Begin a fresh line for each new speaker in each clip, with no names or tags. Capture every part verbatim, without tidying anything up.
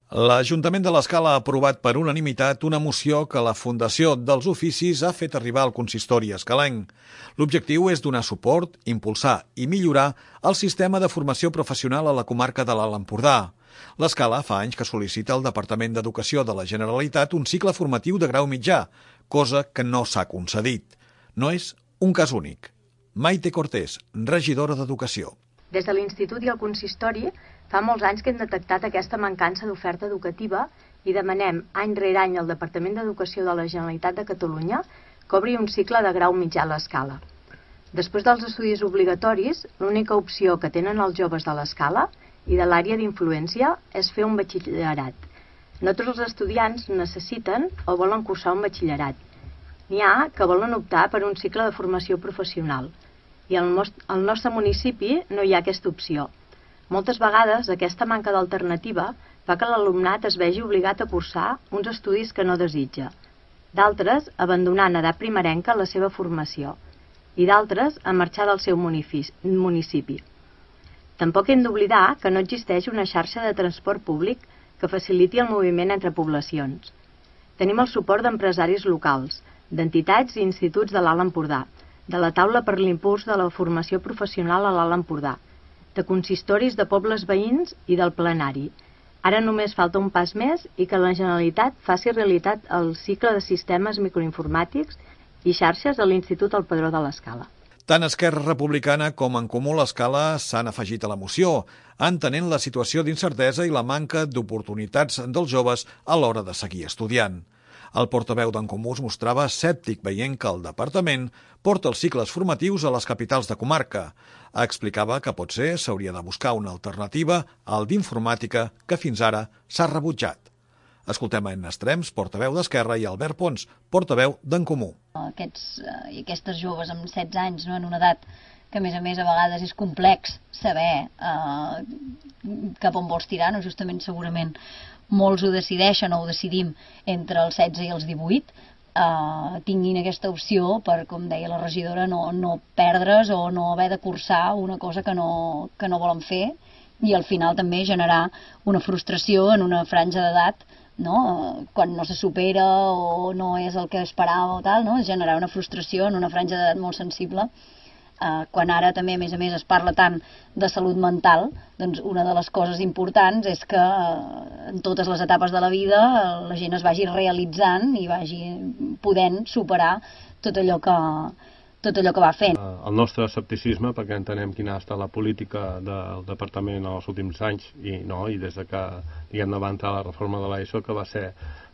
L'Ajuntament de l'Escala ha aprovat per unanimitat una moció que la Fundació dels Oficis ha fet arribar al consistori escalenc. L'objectiu és donar suport, impulsar i millorar el sistema de formació professional a la comarca de l'Alt Empordà. L'Escala fa anys que sol·licita al Departament d'Educació de la Generalitat un cicle formatiu de grau mitjà, cosa que no s'ha concedit. No és un cas únic. Maite Cortés, regidora d'Educació.
Des de l'Institut i el Consistori fa molts anys que hem detectat aquesta mancança d'oferta educativa i demanem any rere any al Departament d'Educació de la Generalitat de Catalunya que obri un cicle de grau mitjà a l'Escala. Després dels estudis obligatoris, l'única opció que tenen els joves de l'Escala i de l'àrea d'influència és fer un batxillerat. No tots els estudiants necessiten o volen cursar un batxillerat. N'hi ha que volen optar per un cicle de formació professional. I al nostre municipi no hi ha aquesta opció. Moltes vegades aquesta manca d'alternativa fa que l'alumnat es vegi obligat a cursar uns estudis que no desitja. D'altres, abandonant a edat primerenca la seva formació. I d'altres, a marxar del seu municipi. Tampoc hem d'oblidar que no existeix una xarxa de transport públic que faciliti el moviment entre poblacions. Tenim el suport d'empresaris locals, d'entitats i instituts de l'Alt Empordà, de la taula per l'impuls de la formació professional a l'Alt Empordà, de consistoris de pobles veïns i del plenari. Ara només falta un pas més i que la Generalitat faci realitat el cicle de sistemes microinformàtics i xarxes a l'Institut El Padró de l'Escala.
Tant Esquerra Republicana com En Comú l'Escala s'han afegit a la moció, entenent la situació d'incertesa i la manca d'oportunitats dels joves a l'hora de seguir estudiant. El portaveu d'En Comú es mostrava escèptic veient que el departament porta els cicles formatius a les capitals de comarca. Explicava que potser s'hauria de buscar una alternativa al d'informàtica que fins ara s'ha rebutjat. Escoltem en Estrems, portaveu d'Esquerra, i Albert Pons, portaveu d'En Comú.
Aquests i aquestes joves amb setze anys, no, en una edat que a més a més a vegades és complex saber eh, cap on vols tirar, no? Justament segurament molts ho decideixen o ho decidim entre els setze i els divuit, eh, tinguin aquesta opció per, com deia la regidora, no, no perdre's o no haver de cursar una cosa que no, que no volen fer i al final també generar una frustració en una franja d'edat, no? Quan no se supera o no és el que esperava o tal, no? Generar una frustració en una franja d'edat molt sensible. Uh, quan ara també a més a més es parla tant de salut mental, doncs una de les coses importants és que uh, en totes les etapes de la vida uh, la gent es vagi realitzant i vagi podent superar tot allò que, tot allò que va fent.
Uh, el nostre escepticisme, perquè entenem quina ha estat la política del departament els últims anys i, no, i des de que diguem, va entrar la reforma de l'ESO, que va ser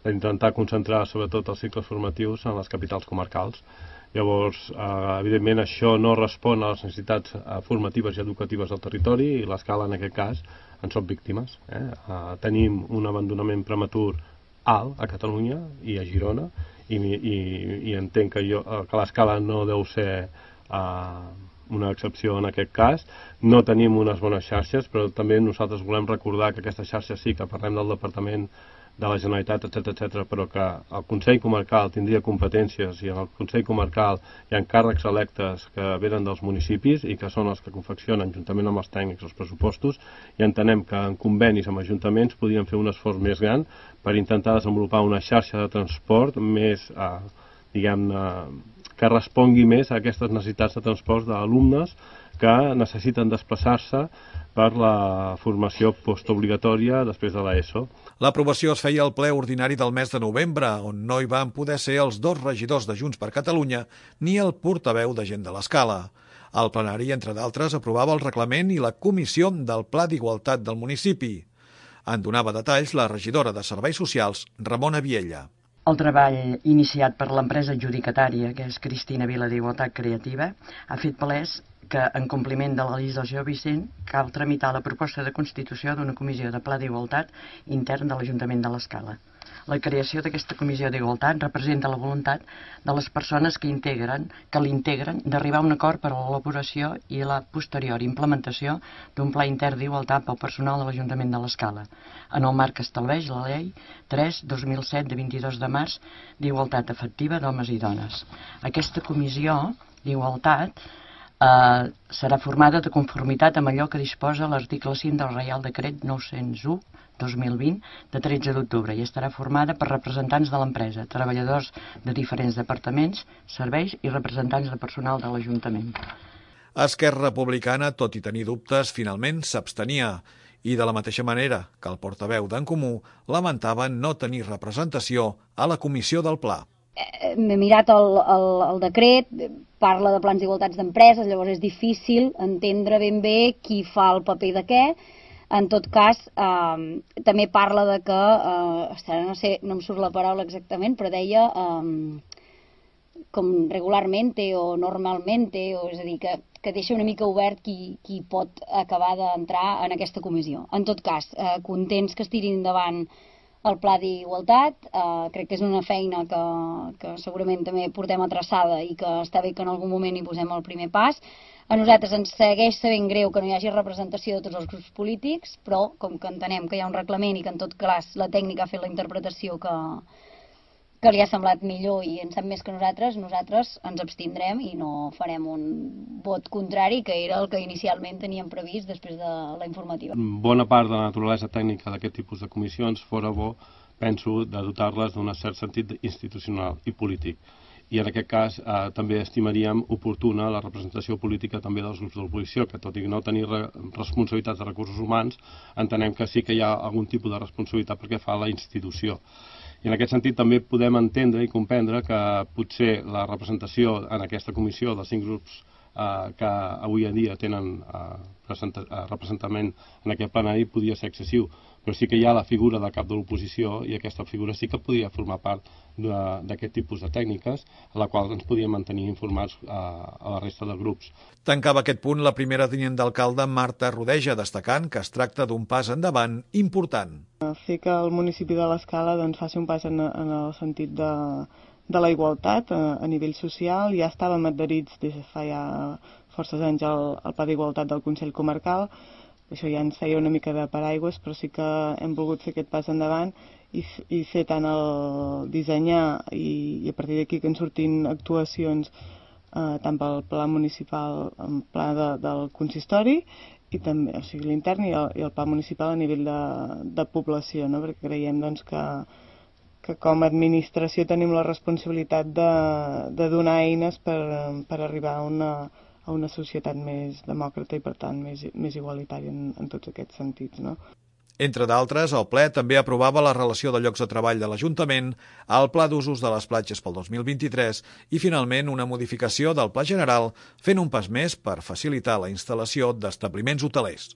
d'intentar concentrar sobretot els cicles formatius en les capitals comarcals. Llavors, eh, evidentment, això no respon a les necessitats eh, formatives i educatives del territori i l'Escala, en aquest cas, en són víctimes. Eh? Eh, tenim un abandonament prematur alt a Catalunya i a Girona i, i, i entenc que, jo, que l'Escala no deu ser eh, una excepció en aquest cas. No tenim unes bones xarxes, però també nosaltres volem recordar que aquesta xarxa sí que parlem del Departament de la Generalitat, etcètera, etcètera, però que el Consell Comarcal tindria competències i en el Consell Comarcal hi ha càrrecs electes que venen dels municipis i que són els que confeccionen, juntament amb els tècnics, els pressupostos, i entenem que en convenis amb ajuntaments podrien fer un esforç més gran per intentar desenvolupar una xarxa de transport més, eh, diguem-ne, que respongui més a aquestes necessitats de transport d'alumnes que necessiten desplaçar-se per la formació postobligatòria després de l'ESO.
L'aprovació es feia al ple ordinari del mes de novembre, on no hi van poder ser els dos regidors de Junts per Catalunya ni el portaveu de Gent de l'Escala. El plenari, entre d'altres, aprovava el reglament i la comissió del Pla d'Igualtat del municipi. En donava detalls la regidora de Serveis Socials, Ramona Viella.
El treball iniciat per l'empresa adjudicatària, que és Cristina Vila d'Igualtat Creativa, ha fet palès que, en compliment de la legislació vigent, cal tramitar la proposta de constitució d'una comissió de pla d'igualtat intern de l'Ajuntament de l'Escala. La creació d'aquesta comissió d'igualtat representa la voluntat de les persones que integren, que l'integren, d'arribar a un acord per a l'elaboració i la posterior implementació d'un pla intern d'igualtat pel personal de l'Ajuntament de l'Escala, en el marc que estableix la llei tres dos mil set de vint-i-dos de març d'igualtat efectiva d'homes i dones. Aquesta comissió d'igualtat eh, serà formada de conformitat amb allò que disposa l'article cinc del Reial Decret nou-cents u dos mil vint, de tretze d'octubre, i estarà formada per representants de l'empresa, treballadors de diferents departaments, serveis i representants de personal de l'Ajuntament.
Esquerra Republicana, tot i tenir dubtes, finalment s'abstenia. I de la mateixa manera que el portaveu d'En Comú lamentava no tenir representació a la comissió del Pla.
M'he mirat el, el, el decret, parla de plans d'igualtats d'empreses, llavors és difícil entendre ben bé qui fa el paper de què. En tot cas, eh, també parla de que, eh, no sé, no em surt la paraula exactament, però deia eh, com regularmente o normalmente, o és a dir, que, que deixa una mica obert qui, qui pot acabar d'entrar en aquesta comissió. En tot cas, eh, contents que es tirin endavant el pla d'igualtat, eh, crec que és una feina que, que segurament també portem atraçada i que està bé que en algun moment hi posem el primer pas. A nosaltres ens segueix sabent greu que no hi hagi representació de tots els grups polítics, però com que entenem que hi ha un reglament i que en tot cas la tècnica ha fet la interpretació que, que li ha semblat millor i en sap més que nosaltres, nosaltres ens abstindrem i no farem un vot contrari, que era el que inicialment teníem previst després de la informativa.
Bona part de la naturalesa tècnica d'aquest tipus de comissions fora bo, penso, de dotar-les d'un cert sentit institucional i polític. I en aquest cas eh, també estimaríem oportuna la representació política també dels grups de l'oposició, que tot i no tenir re responsabilitats de recursos humans, entenem que sí que hi ha algun tipus de responsabilitat perquè fa la institució. I en aquest sentit també podem entendre i comprendre que potser la representació en aquesta comissió dels cinc grups eh, que avui en dia tenen eh, representament en aquest plenari podia ser excessiu, però sí que hi ha la figura del cap de l'oposició i aquesta figura sí que podria formar part d'aquest tipus de tècniques, a la qual ens podíem mantenir informats a, a la resta de grups.
Tancava aquest punt la primera tinent d'alcalde Marta Rodeja, destacant que es tracta d'un pas endavant important.
Fer que el municipi de l'Escala doncs, faci un pas en, en el sentit de, de la igualtat a, a nivell social. Ja estàvem adherits des de fa ja forces anys al, al Pla d'Igualtat del Consell Comarcal. Això ja ens feia una mica de paraigües, però sí que hem volgut fer aquest pas endavant i, i fer tant el dissenyar i, i a partir d'aquí que en surtin actuacions eh, tant pel pla municipal, el pla de, del consistori, i també, o sigui, l'intern i, i el pla municipal a nivell de, de població, no? Perquè creiem doncs, que, que com a administració tenim la responsabilitat de, de donar eines per, per arribar a una a una societat més demòcrata i, per tant, més, més igualitària en, en tots aquests sentits, no?
Entre d'altres, el ple també aprovava la relació de llocs de treball de l'Ajuntament, el Pla d'usos de les platges pel dos mil vint-i-tres i, finalment, una modificació del Pla General, fent un pas més per facilitar la instal·lació d'establiments hotelers.